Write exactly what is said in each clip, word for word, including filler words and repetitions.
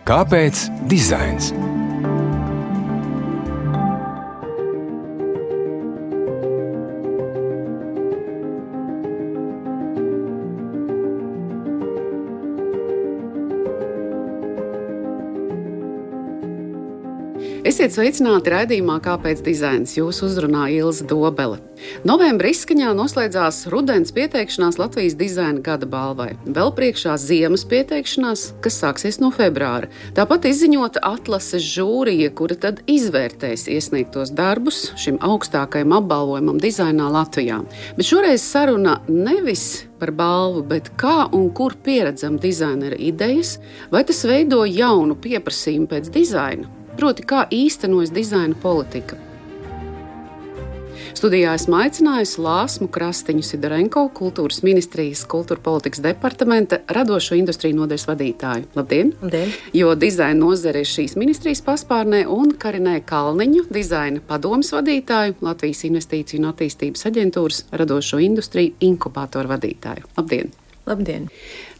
Kāpēc dizains? Esiet sveicināti raidījumā Kāpēc dizains? Jūs uzrunā Ilze Dobele. Novembra izskaņā noslēdzās rudens pieteikšanās Latvijas dizaina gada balvai. Vēl priekšā ziemas pieteikšanās, kas sāksies no februāra. Tāpat izziņota atlases žūrija, kura tad izvērtēs iesniegtos darbus šim augstākajam apbalvojumam dizainā Latvijā. Bet šoreiz saruna nevis par balvu, bet kā un kur pieredzam dizainera idejas, vai tas veido jaunu pieprasījumu pēc dizaina? Proti, kā īstenojas dizaina politika. Studijā esmu aicinājusi Lāsmu Krastiņu Sidorenko, Kultūras ministrijas kultūra politikas departamenta radošo industriju nodaļas vadītāju. Labdien! Labdien! Jo dizaina nozare ir šīs ministrijas paspārnē, un Karinē Kalniņu, dizaina padomes vadītāju, Latvijas Investīciju un attīstības aģentūras radošo industriju inkubātoru vadītāju. Labdien! Labdien!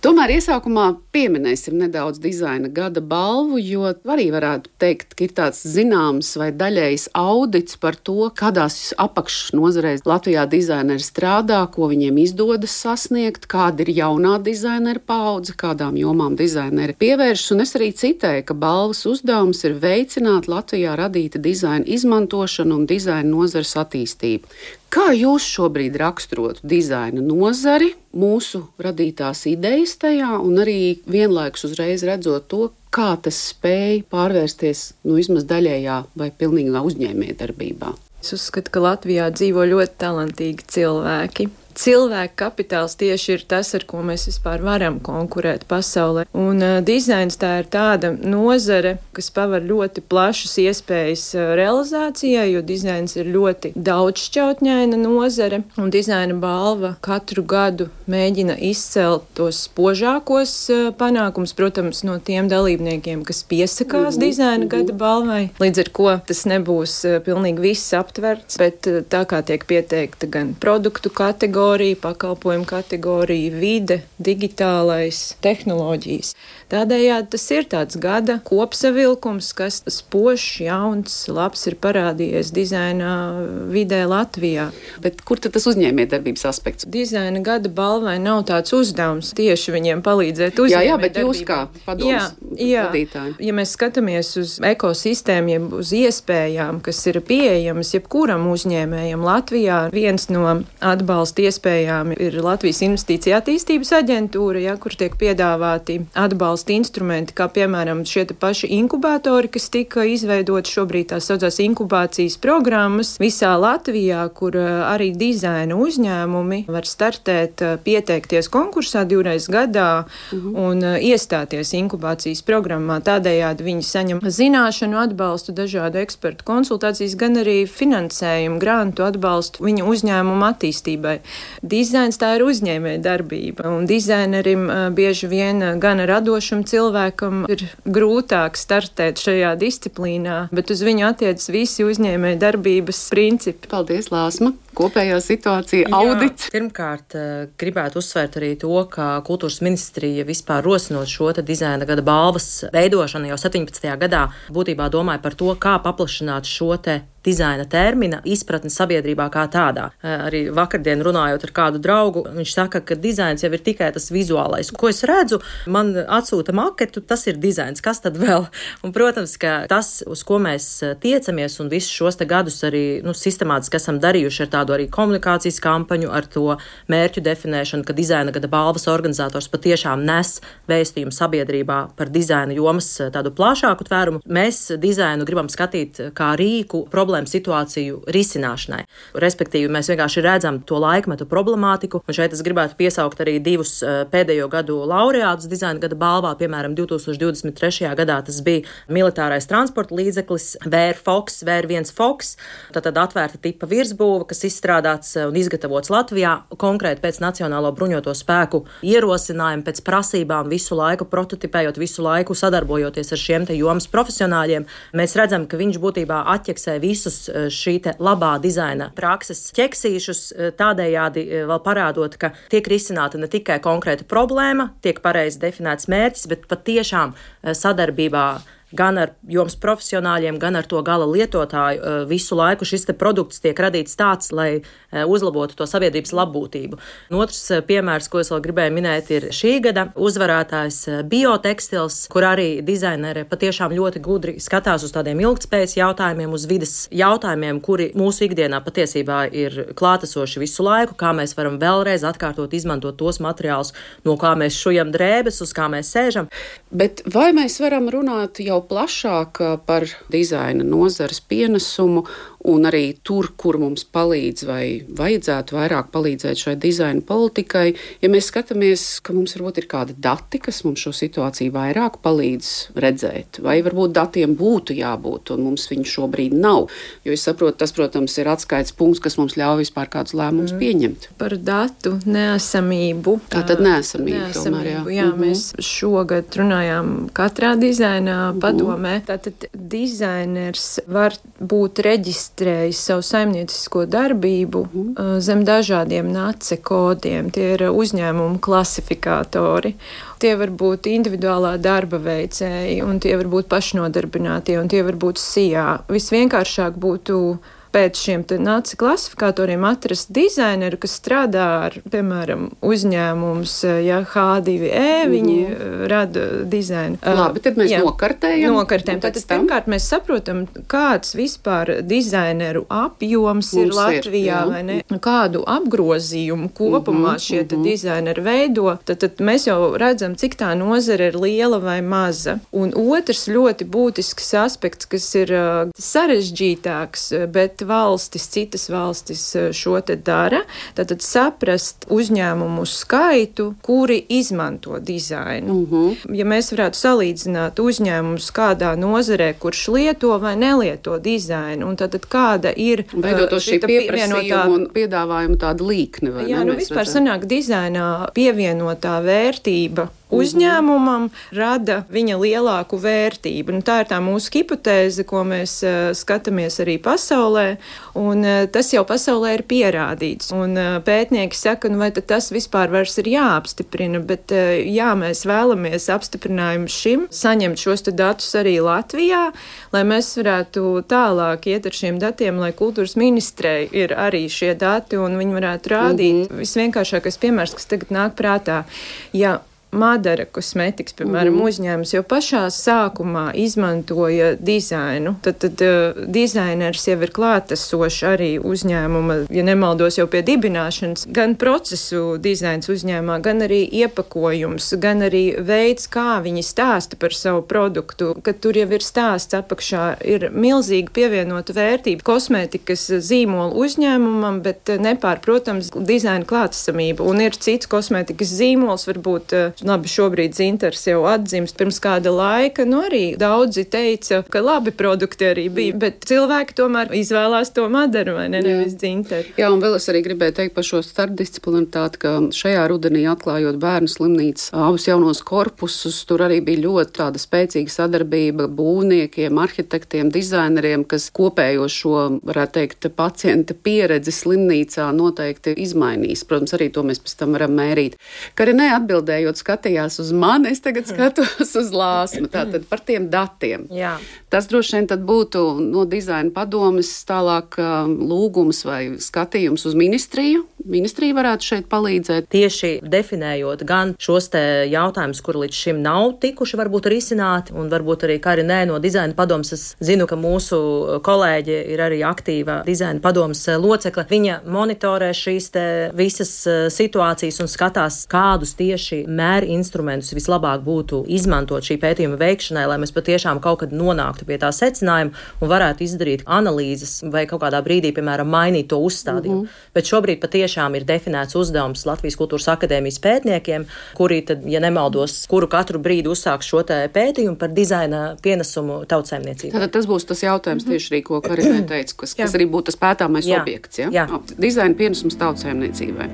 Tomēr iesākumā pieminēsim nedaudz dizaina gada balvu, jo arī varētu teikt, ka ir tāds zināms vai daļējs audits par to, kādās apakšnozarēs Latvijā dizaineri strādā, ko viņiem izdodas sasniegt, kāda ir jaunā dizainera paudze, kādām jomām dizaineri pievēršas, un es arī citēju, ka balvas uzdevums ir veicināt Latvijā radīta dizaina izmantošanu un dizaina nozares attīstību. Kā jūs šobrīd raksturotu dizaina nozari, mūsu radītās idejas tajā un arī vienlaikus uzreiz redzot to, kā tas spēj pārvērsties nu, vismaz daļējā vai pilnīgā uzņēmējdarbībā? Es uzskatu, ka Latvijā dzīvo ļoti talantīgi cilvēki. Cilvēka kapitāls tieši ir tas, ar ko mēs vispār varam konkurēt pasaulē. Un uh, dizains tā ir tāda nozare, kas paver ļoti plašas iespējas uh, realizācijai, jo dizains ir ļoti daudzšķautņaina nozare. Un dizaina balva katru gadu mēģina izcelt tos spožākos uh, panākums, protams, no tiem dalībniekiem, kas piesakās mm-hmm. dizaina gada balvai. Līdz ar ko tas nebūs uh, pilnīgi viss aptverts, bet uh, tā kā tiek pieteikta gan produktu kategorija, pakalpojumu kategorija, vide, digitālais, tehnoloģijas. Tādējādi tas ir tāds gada kopsavilkums, kas spožs, jauns, labs ir parādījies dizaina vidē Latvijā. Bet kur tad tas uzņēmējdarbības aspekts? Dizaina gada balvai nav tāds uzdevums tieši viņiem palīdzēt uzņēmējdarbībā. Jā, jā, bet jūs kā padomes vadītāji. Ja mēs skatāmies uz ekosistēmu, jeb uz iespējām, kas ir pieejamas jebkuram uzņēmējam Latvijā, viens no atbalsta iespējām ir Latvijas Investīciju attīstības aģentūra, ja, kur tiek piedāvāti atbalsta instrumenti, kā piemēram šie paši inkubātori, kas tika izveidoti šobrīd tās saucās inkubācijas programmas visā Latvijā, kur arī dizaina uzņēmumi var startēt, pieteikties konkursā divreiz gadā uh-huh. un iestāties inkubācijas programmā. Tādējādi viņi saņem zināšanu atbalstu, dažādu ekspertu konsultācijas, gan arī finansējumu, grantu atbalstu viņu uzņēmumu attīstībai. Dizains tā ir uzņēmēja darbība, un dizainerim bieži vien gan radošam cilvēkam ir grūtāk startēt šajā disciplīnā, bet uz viņu attiecas visi uzņēmēja darbības principi. Paldies, Lāsma! Kopējā situācija, audits. Jā, pirmkārt, gribētu uzsvērt arī to, ka kultūras ministrija vispār rosinot šo te dizaina gada balvas veidošanu jau septiņpadsmitajā gadā būtībā domāja par to, kā paplašināt šo te dizaina termina izpratni sabiedrībā kā tādā. Arī vakardien runājot ar kādu draugu, viņš saka, ka dizains jau ir tikai tas vizuālais. Ko es redzu, man atsūta maketu, tas ir dizains, kas tad vēl? Un, protams, ka tas, uz ko mēs tiecamies un visus šos te gadus arī nu, sistemātiski esam darījuši ar tādu arī komunikācijas kampaņu, ar to mērķu definēšanu, ka dizaina gada balvas organizators patiešām nes vēstījumu sabiedrībā par dizaina jomas tādu plašāku tvērumu. Mēs dizainu gribam skatīt kā rīku problēmu situāciju risināšanai. Respektīvi, mēs vienkārši redzam to laikmetu problemātiku, un šeit es gribētu piesaukt arī divus pēdējo gadu laureātus dizaina gada balvā, piemēram, divi tūkstoši divdesmit trešajā gadā tas bija militārais transporta līdzeklis V R Fox, V R viens Fox, tātad atvērta tipa virsbūve, kas izstrādāts un izgatavots Latvijā, konkrēti pēc Nacionālo bruņoto spēku ierosinājumu, pēc prasībām, visu laiku prototipējot, visu laiku sadarbojoties ar šiem te jomas profesionāļiem. Mēs redzam, ka viņš būtībā atķeksē visu visus šī te labā dizaina prakses ķeksīšus, tādējādi tādējādi vēl parādot, ka tiek risināta ne tikai konkrēta problēma, tiek pareizi definēts mērķis, bet patiešām sadarbībā gan ar jomas profesionāļiem, gan ar to gala lietotāju visu laiku šis te produkts tiek radīts tāds, lai uzlabotu to sabiedrības labbūtību. Un otrs piemērs, ko es vēl gribēju minēt, ir šī gada uzvarētājs biotekstils, kur arī dizaineri patiešām ļoti gudri skatās uz tādiem ilgtspējas jautājumiem, uz vides jautājumiem, kuri mūsu ikdienā patiesībā ir klātesoši visu laiku, kā mēs varam vēlreiz atkārtot, izmantot tos materiālus, no kā mēs šujam drēbes, uz kā mēs sēžam. Bet vai mēs varam runāt jau plašāk par dizaina nozares pienesumu un arī tur, kur mums palīdz vai vajadzētu vairāk palīdzēt šai dizaina politikai, ja mēs skatāmies, ka mums varbūt ir kādi dati, kas mums šo situāciju vairāk palīdz redzēt, vai varbūt datiem būtu jābūt un mums viņu šobrīd nav, jo es saprotu, tas, protams, ir atskaites punkts, kas mums ļauj vispār kādus lēmumus mm. pieņemt. Par datu neesamību. Tātad neesamību, neesamību tomēr, jā. jā mm-hmm. Mēs šogad runājām katrā dizaina padomē. Tātad dizainers var būt reģistrējis savu saimniecisko darbību mm. zem dažādiem nace kodiem. Tie ir uzņēmumu klasifikātori. Tie var būt individuālā darba veicēji, un tie var būt pašnodarbinātie, un tie var būt S I A. Visvienkāršāk būtu pēc šiem naci klasifikatoriem atrast dizaineru, kas strādā ar, piemēram, uzņēmums, ja H divi E, mm-hmm. viņi rada dizainu. Labi, tad mēs jā, nokartējam. Nokartējam. Tātad, pirmkārt, mēs saprotam, kāds vispār dizaineru apjoms mums ir Latvijā, ir, vai ne? Kādu apgrozījumu kopumā mm-hmm, šie mm-hmm. dizaineri veido. Tad, tad mēs jau redzam, cik tā nozara ir liela vai maza. Un otrs ļoti būtisks aspekts, kas ir uh, sarežģītāks, bet valstis, citas valstis šo te dara, tātad saprast uzņēmumu skaitu, kuri izmanto dizainu. Uh-huh. Ja mēs varētu salīdzināt uzņēmumus kādā nozarē, kurš lieto vai nelieto dizainu, un tātad kāda ir veidot to šī pieprasījuma un piedāvājuma tāda līkne, vai jā, ne? Nu vispār sanāk dizainā pievienotā vērtība uzņēmumam rada viņa lielāku vērtību. Nu, tā ir tā mūsu hipotēze, ko mēs uh, skatāmies arī pasaulē, un uh, tas jau pasaulē ir pierādīts. Un uh, pētnieki saka, nu vai tad tas vispār vairs ir jāapstiprina, bet uh, jā, mēs vēlamies apstiprinājumu šim, saņemt šos te datus arī Latvijā, lai mēs varētu tālāk iet ar šiem datiem, lai kultūras ministrei ir arī šie dati, un viņi varētu rādīt. Mm-hmm. Visvienkāršākais piemērs, kas tagad nāk prātā, ja Madara kosmetikas, piemēram, mm. uzņēmums jau pašā sākumā izmantoja dizainu. Tad, tad uh, dizainers jau ir klātesošs arī uzņēmuma, ja nemaldos jau pie dibināšanas, gan procesu dizains uzņēmumā, gan arī iepakojums, gan arī veids, kā viņi stāsta par savu produktu, kad tur jau ir stāsts apakšā, ir milzīgi pievienota vērtība kosmetikas zīmola uzņēmumam, bet nepārprotams dizaina klātesamība. Un ir cits kosmetikas zīmols, varbūt labi, šobrīd dzintars jau atdzimst pirms kāda laika, nu arī daudzi teica, ka labi produkti arī bija, bet cilvēki tomēr izvēlās to Madaru, vai ne, nevis dzintaru. Jā, un vēl es arī gribēju teikt par šo starpdisciplinaritāti, ka šajā rudenī atklājot bērnu slimnīcas abus jaunos korpusus, tur arī bija ļoti tāda spēcīga sadarbība būvniekiem, arhitektiem, dizaineriem, kas kopējo šo, varētu teikt, pacienta pieredzi slimnīcā noteikti izmainīs. Protams, arī to mēs pēc tam varam mērīt. Karinē atbildējot, skatījās uz mani, es tagad skatos uz Lāsmu, tātad par tiem datiem. Jā. Tas droši vien tad būtu no dizaina padomes tālāk lūgums vai skatījums uz ministriju. Ministrija varētu šeit palīdzēt. Tieši definējot gan šos te jautājumus, kur līdz šim nav tikuši varbūt risināti, un varbūt arī kā arī nē no dizaina padomes. Es zinu, ka mūsu kolēģi ir arī aktīva dizaina padomes locekle. Viņa monitorē šīs te visas situācijas un skatās, kādus tieši mēri instrumentus vislabāk būtu izmantot šī pētījuma veikšanai, lai mēs patiešām kaut kad nonāktu pie tā secinājuma un varētu izdarīt analīzes vai kaut kādā brīdī, piemēram, mainīt to uzstādījumu. Mm-hmm. Bet šobrīd patiešām ir definēts uzdevums Latvijas Kultūras akadēmijas pētniekiem, kuri tad, ja nemaldos, kuru katru brīdi uzsāks šo te pētījumu par dizaina pienesumu tautsaimniecībai. Tātad tas būs tas jautājums mm-hmm. tieši arī, ko Karinē teica, kas, kas arī būtu tas pētāmais Jā. objekts. Ja? Jā. Dizaina pienesums tautsaimniecībai.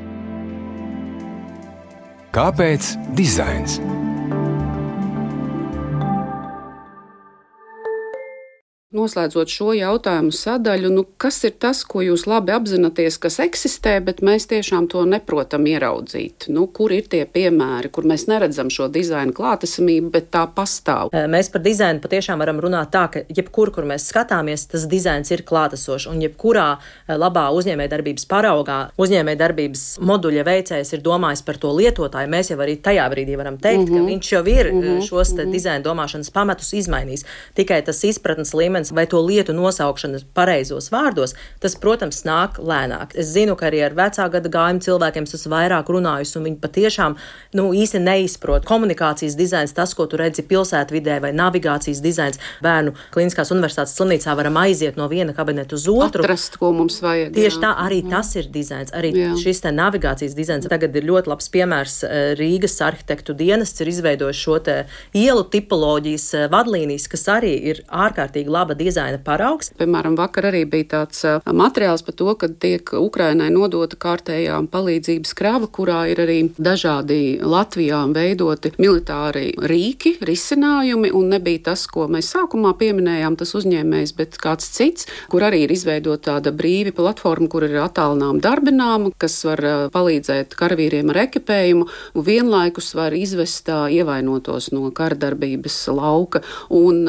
Kāpēc dizains? Noslēdzot šo jautājumu sadaļu, nu, kas ir tas, ko jūs labi apzināties, kas eksistē, bet mēs tiešām to neprotam ieraudzīt? Nu, kur ir tie piemēri, kur mēs neredzam šo dizaina klātesamību, bet tā pastāv? Mēs par dizainu patiešām varam runāt tā, ka jebkur, kur mēs skatāmies, tas dizains ir klātesošs, un jebkurā labā uzņēmējdarbības paraugā uzņēmējdarbības moduļa veicējs ir domājis par to lietotāju. Mēs jau arī tajā brīdī varam teikt, mm-hmm. ka viņš jau ir mm-hmm. šos te dizaina domāšanas pamatus izmainījis. Tikai tas izpratnes līmenis vai to lietu nosaukšana pareizos vārdos, tas, protams, nāk lēnāk. Es zinu, ka arī ar vecā gada gājumu cilvēkiem es esmu vairāk runājusi, un viņi patiešām nu, īsti neizprot. Komunikācijas dizains, tas, ko tu redzi pilsētvidē, vai navigācijas dizains. Bērnu Kliniskās universitātes slimnīcā varam aiziet no viena kabineta uz otru. Atrast, ko mums vajag. Tieši jā. tā, arī jā. tas ir dizains. Arī jā. šis te navigācijas dizains. Tagad ir ļoti labs piemērs. Rīgas arhitektu dienests ir izveidojis šo te ielu tipoloģijas vadlīnijas, kas arī ir ārkārtīgi laba dizaina paraugs. Piemēram, vakar arī bija tāds materiāls par to, ka tiek Ukrainai nodota kārtējā palīdzības krava, kurā ir arī dažādi Latvijā veidoti militāri rīki, risinājumi, un nebija tas, ko mēs sākumā pieminējām, tas uzņēmējs, bet kāds cits, kur arī ir izveidota tāda brīvi platforma, kur ir attālinām darbināma, kas var palīdzēt karavīriem ar ekipējumu, un vienlaikus var izvest ievainotos no karadarbības lauka. Un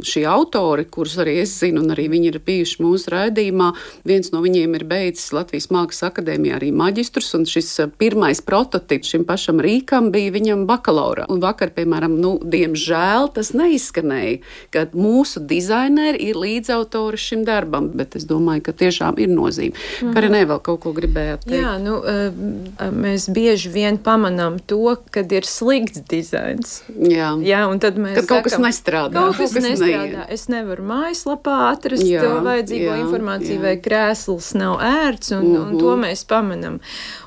šie autori, kurus arī es zinu, un arī viņi ir bijuši mūsu raidījumā, viens no viņiem ir beidzis Latvijas Mākslas akadēmijā arī maģistrus, un šis pirmais prototips šim pašam rīkam bija viņam bakalaura. Un vakar, piemēram, nu, diemžēl tas neizskanēja, ka mūsu dizaineri ir līdzautori šim darbam, bet es domāju, ka tiešām ir nozīme. Mm-hmm. Karinē vēl kaut ko gribējāt teikt? Jā, nu, mēs bieži vien pamanām to, kad ir slikts dizains. Jā. Jā, un tad mēs kad kaut sakam, kas nestrādā. Kaut kas nestrādā. Es nevaru mājaslapā atrast jā, to vajadzīgo jā, informāciju, jā. vai krēsls nav ērts, un, uh-huh. un to mēs pamanam.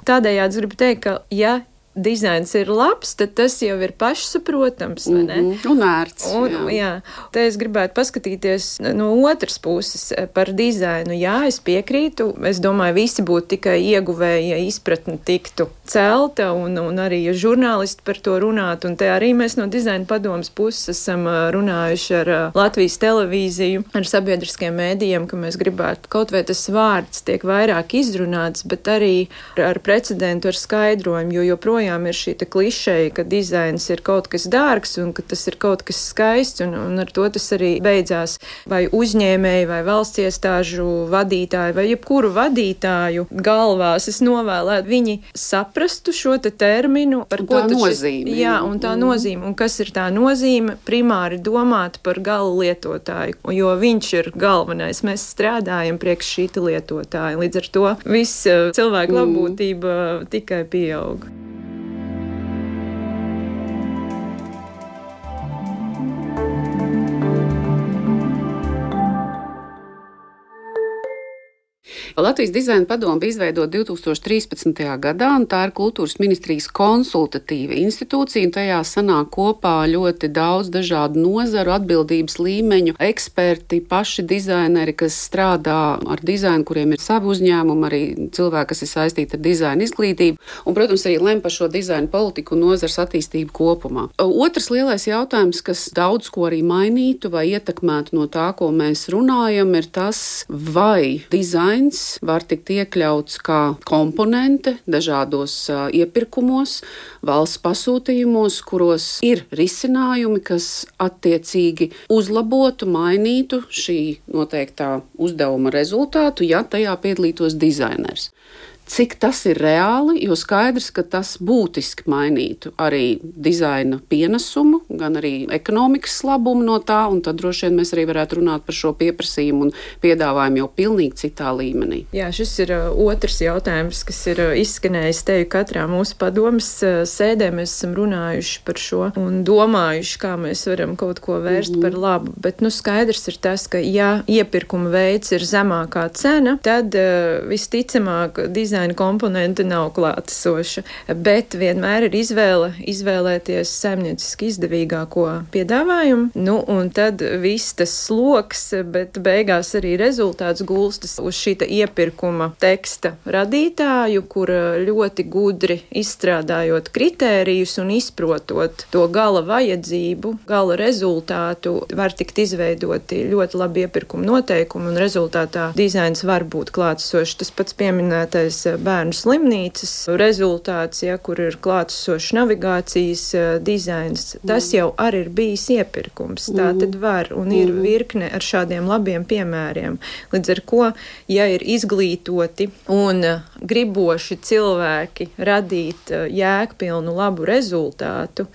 Tādējādi es gribu teikt, ka ja dizains ir labs, tad tas jau ir pašsaprotams, vai ne? Mm-hmm. Un ērts. Un, jā. jā. Te es gribētu paskatīties no otras puses par dizainu. Jā, es piekrītu. Es domāju, visi būtu tikai ieguvēji, ja izpratni tiktu celta, un, un arī ja žurnālisti par to runātu. Un te arī mēs no dizaina padomas puses esam runājuši ar Latvijas televīziju, ar sabiedriskiem mēdījiem, ka mēs gribētu kaut vai tas vārds tiek vairāk izrunāts, bet arī ar precedentu, ar skaidrojumu, jo joprojām ir šī te klišeja, ka dizains ir kaut kas dārgs un ka tas ir kaut kas skaists, un, un ar to tas arī beidzās. Vai uzņēmēji, vai valsts iestāžu vadītāji, vai jebkuru vadītāju galvās es novēlētu, viņi saprastu šo te terminu, par un ko tā nozīme. Jā, un tā mm. nozīme. Un kas ir tā nozīme? Primāri domāt par gala lietotāju, jo viņš ir galvenais. Mēs strādājam priekš šīta lietotāja. Līdz ar to viss cilvēku mm. labbūtība tikai pieaug. Latvijas dizaina padome bija izveidota divi tūkstoši trīspadsmitajā gadā, un tā ir kultūras ministrijas konsultatīva institūcija, un tajā sanāk kopā ļoti daudz dažādu nozaru, atbildības līmeņu, eksperti, paši dizaineri, kas strādā ar dizainu, kuriem ir savi uzņēmumi, arī cilvēki, kas ir saistīti ar dizaina izglītību, un, protams, arī lem par šo dizaina politiku un nozars attīstību kopumā. Otrs lielais jautājums, kas daudz ko arī mainītu vai ietekmētu no tā, ko mēs runājam, ir tas, vai dizains var tikt iekļauts kā komponente dažādos uh, iepirkumos, valsts pasūtījumos, kuros ir risinājumi, kas attiecīgi uzlabotu, mainītu šī noteiktā uzdevuma rezultātu, ja tajā piedalītos dizainers. Cik tas ir reāli, jo skaidrs, ka tas būtiski mainītu arī dizaina pienesumu, gan arī ekonomikas labumu no tā, un tad droši vien mēs arī varētu runāt par šo pieprasījumu un piedāvājumu jau pilnīgi citā līmenī. Jā, šis ir uh, otrs jautājums, kas ir uh, izskanējis teju katrā mūsu padomas uh, sēdē. Mēs esam runājuši par šo un domājuši, kā mēs varam kaut ko vērst mm-hmm. par labu, bet nu skaidrs ir tas, ka ja iepirkuma veids ir zemākā cena, tad uh, visticamāk dizaina dizaina komponente nav klātesoša, bet vienmēr ir izvēle izvēlēties saimnieciski izdevīgāko piedāvājumu, nu, un tad viss tas sloks, bet beigās arī rezultāts gulstas uz šīta iepirkuma teksta radītāju, kur ļoti gudri izstrādājot kritērijus un izprotot to gala vajadzību, gala rezultātu, var tikt izveidoti ļoti labi iepirkuma noteikumi, un rezultātā dizains var būt klātesošs. Tas pats pieminētais bērnu slimnīcas rezultāts, ja, kur ir klātesošs navigācijas dizains, tas jau arī ir bijis iepirkums. Tā tad var, un ir virkne ar šādiem labiem piemēriem. Līdz ar ko, ja ir izglītoti un griboši cilvēki radīt jēgpilnu labu rezultātu,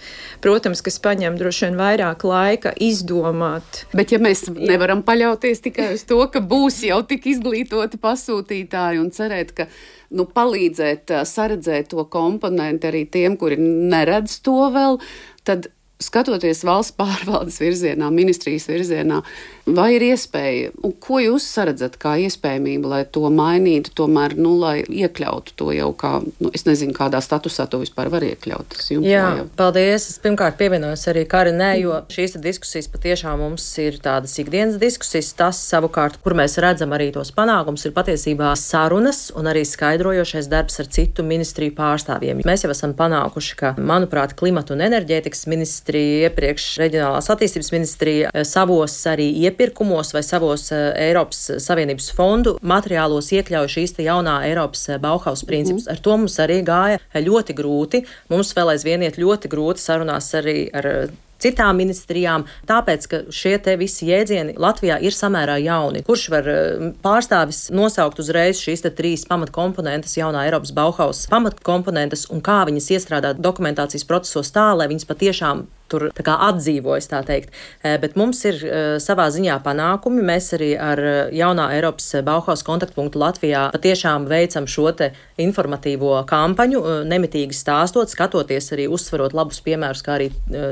protams, kas paņem droši vien vairāk laika izdomāt. Bet ja mēs nevaram paļauties tikai uz to, ka būs jau tik izglītoti pasūtītāji un cerēt, ka nu, palīdzēt saredzēt to komponenti arī tiem, kuri neredz to vēl, tad skatoties valsts pārvaldes virzienā, ministrijas virzienā, vai ir iespēja, un ko jūs saredzat kā iespējamību, lai to mainītu, tomēr, nu, lai iekļautu to jau kā, nu, es nezinu, kādā statusā to vispār var iekļaut. Jā, jau... paldies. Es pirmkārt pievienojos arī Karinē, jo šīs diskusijas patiešām mums ir tādas ikdienas diskusijas. Tas savukārt, kur mēs redzam arī tos panākums, ir patiesībā sarunas un arī skaidrojošais darbs ar citu ministriju pārstāvjiem. Mēs jau esam panākuši, ka, manuprāt, klimata un enerģētikas ministrija, iepriekš reģionālās attīstības ministrija savos arī iepirkumos vai savos Eiropas Savienības fondu materiālos iekļauj šīs te jaunā Eiropas Bauhaus principus. Ar to mums arī gāja ļoti grūti. Mums vēl aizvien iet ļoti grūti sarunās arī ar citām ministrijām, tāpēc, ka šie te visi jēdzieni Latvijā ir samērā jauni. Kurš var pārstāvis nosaukt uzreiz šīs te trīs pamatkomponentes jaunā Eiropas Bauhaus pamatkomponentes un kā viņas iestrādāt dokumentācijas procesos tā, lai viņas patiešām tur tā kā atdzīvojas, tā teikt. Bet mums ir savā ziņā panākumi. Mēs arī ar jaunā Eiropas Bauhaus kontaktpunktu Latvijā patiešām veicam šo te informatīvo kampaņu, nemitīgi stāstot, skatoties arī uzsverot labus piemērus, kā arī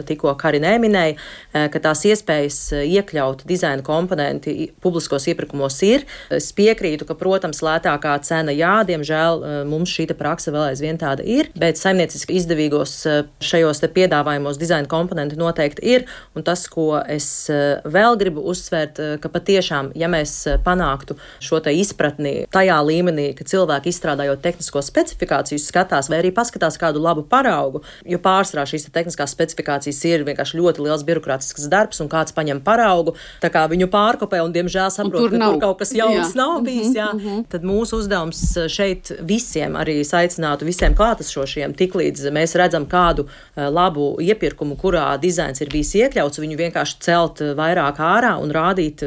tikko Karinē minēja, ka tās iespējas iekļaut dizaina komponenti publiskos iepirkumos ir. Es piekrītu, ka, protams, lētākā cena, jā, diemžēl mums šī te praksa vēl aizvien tāda ir, bet saimnieciski izdevīgos šajos te piedāvājumos dizaina komponenti komponenti noteikti ir, un tas, ko es vēl gribu uzsvērt, ka patiešām, ja mēs panāktu šo te izpratni tajā līmenī, ka cilvēki izstrādājot tehnisko specifikāciju skatās vai arī paskatās kādu labu paraugu, jo pārsvarā šīs te tehniskās specifikācijas ir vienkārši ļoti liels birokrātisks darbs, un kāds paņem paraugu, tā kā viņu pārkopē un, diemžēl, saprot, tur ka nav. Tur kaut kas jauns jā. Nav bijis, jā. Mm-hmm. Tad mūsu uzdevums šeit visiem arī aicinātu visiem klātesošiem, tiklīdz mēs redzam kādu labu iepirkumu, kurā dizains ir bijis iekļauts, viņu vienkārši celt vairāk ārā un rādīt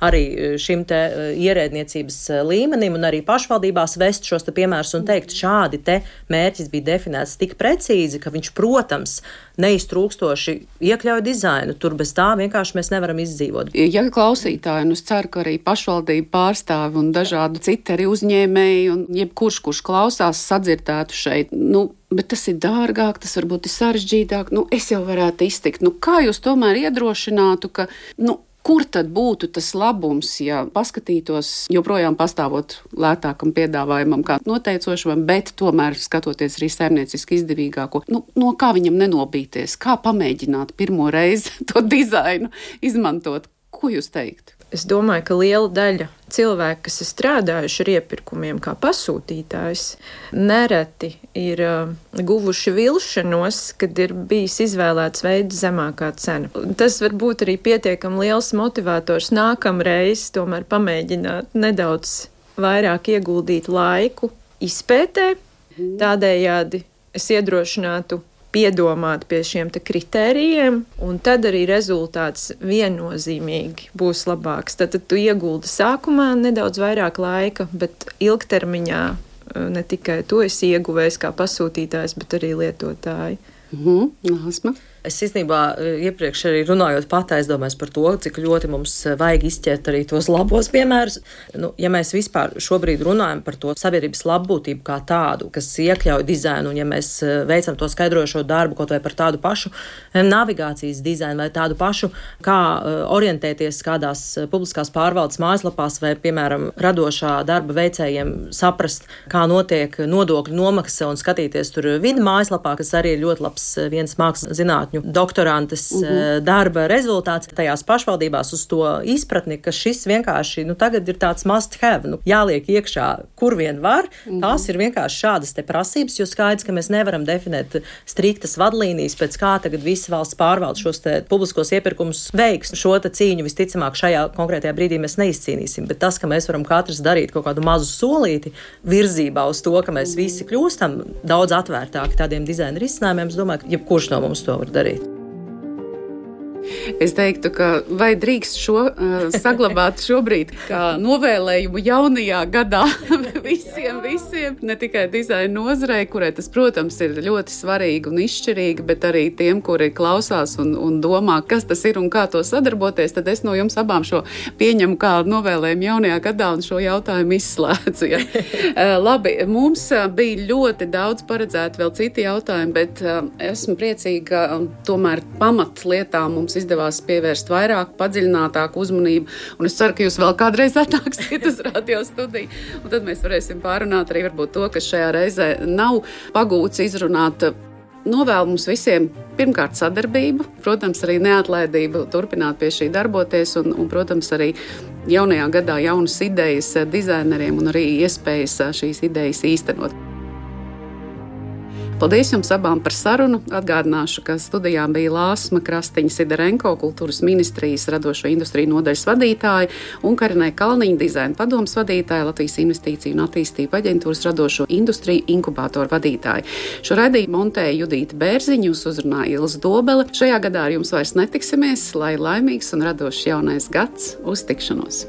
arī šim te ierēdniecības līmenim un arī pašvaldībās vest šos te piemērus un teikt, šādi te mērķis bija definēts tik precīzi, ka viņš, protams, neiztrūkstoši iekļauj dizainu. Tur bez tā vienkārši mēs nevaram izdzīvot. Ja klausītāji, un es ceru, ka arī pašvaldību pārstāvi un dažādi citi arī uzņēmēji un jebkurš, kurš klausās, sadzirdētu šeit, nu, bet tas ir dārgāk, tas varbūt ir sarežģītāk, nu, es jau varētu iztikt. Nu, kā jūs tomēr iedrošinātu, ka, nu, kur tad būtu tas labums, ja paskatītos joprojām pastāvot lētākam piedāvājumam kā noteicošam, bet tomēr skatoties arī saimnieciski izdevīgāko, nu, no kā viņam nenobīties, kā pamēģināt pirmo reizi to dizainu izmantot? Ko jūs teikt? Es domāju, ka liela daļa cilvēku, kas ir strādājuši ar iepirkumiem kā pasūtītājs, nereti ir uh, guvuši vilšanos, kad ir bijis izvēlēts veids zemākā cena. Tas var būt arī pietiekami liels motivators nākamreiz tomēr pamēģināt nedaudz vairāk ieguldīt laiku izpētē. Tādējādi es iedrošinātu piedomāt pie šiem te kritērijiem, un tad arī rezultāts viennozīmīgi būs labāks. Tad, tad tu ieguldi sākumā nedaudz vairāk laika, bet ilgtermiņā ne tikai tu esi ieguvējis kā pasūtītājs, bet arī lietotāji. Mhm, Lāsma. Es īstenībā iepriekš arī runājot pat aizdomājos par to, cik ļoti mums vajag izķert arī tos labos piemērus. Nu, ja mēs vispār šobrīd runājam par to sabiedrības labbūtību kā tādu, kas iekļauj dizainu, un ja mēs veicam to skaidrojošo darbu kaut vai par tādu pašu navigācijas dizainu vai tādu pašu, kā orientēties kādās publiskās pārvaldes mājaslapās vai, piemēram, radošā darba veicējiem saprast, kā notiek nodokļu nomaksa un skatīties tur vidi mājaslapā, kas arī ir ļoti labs viens mākslas zinātņu doktorantes uh-huh. darba rezultāts tajās pašvaldībās uz to izpratni, ka šis vienkārši, nu, tagad ir tāds must have, nu, jāliek iekšā, kur vien var. Uh-huh. Tās ir vienkārši šādas te prasības, jo skaidrs, ka mēs nevaram definēt striktas vadlīnijas, pēc kā tagad visi valsts pārvaldes šos te publiskos iepirkumus veiks. Šo te cīņu visticamāk šajā konkrētajā brīdī mēs neizcīnīsim, bet tas, ka mēs varam katrs darīt kaut kādu mazu solīti virzībā uz to, ka mēs visi kļūstam daudz atvērtāki tādiem dizaina risinājumiem, es domāju, ka jebkurš no mums to var darīt. Es teiktu, ka vai drīkst šo uh, saglabāt šobrīd kā novēlējumu jaunajā gadā visiem, visiem, ne tikai dizaina nozarei, kurai tas, protams, ir ļoti svarīgi un izšķirīgi, bet arī tiem, kuri klausās un, un domā, kas tas ir un kā to sadarboties, tad es no jums abām šo pieņemu kā novēlējumu jaunajā gadā un šo jautājumu izslēdzu. Ja? uh, labi, mums bija ļoti daudz paredzēti vēl citi jautājumi, bet uh, esmu priecīga, ka um, tomēr pamatlietām mums izdevās pievērst vairāk, padziļinātāku uzmanību, un es ceru, ka jūs vēl kādreiz atnāksiet uz radio studiju, un tad mēs varēsim pārunāt arī varbūt to, kas šajā reizē nav pagūts izrunāt. Novēlu mums visiem pirmkārt sadarbību, protams, arī neatlaidību turpināt pie šī darboties, un, un protams, arī jaunajā gadā jaunas idejas dizaineriem un arī iespējas šīs idejas īstenot. Paldies jums abām par sarunu. Atgādināšu, ka studijā bija Lāsma Krastiņa-Sidarenko, kultūras ministrijas radošo industriju nodaļas vadītāja, un Karinē Kalniņa, dizaina padomas vadītāja, Latvijas investīciju un attīstību aģentūras radošo industriju inkubātoru vadītāja. Šo raidījumu montēja Judīta Bērziņa, jūs uzrunāja Ilza Dobele. Šajā gadā ar jums vairs netiksimies, lai laimīgs un radošs jaunais gads. Uz tikšanos!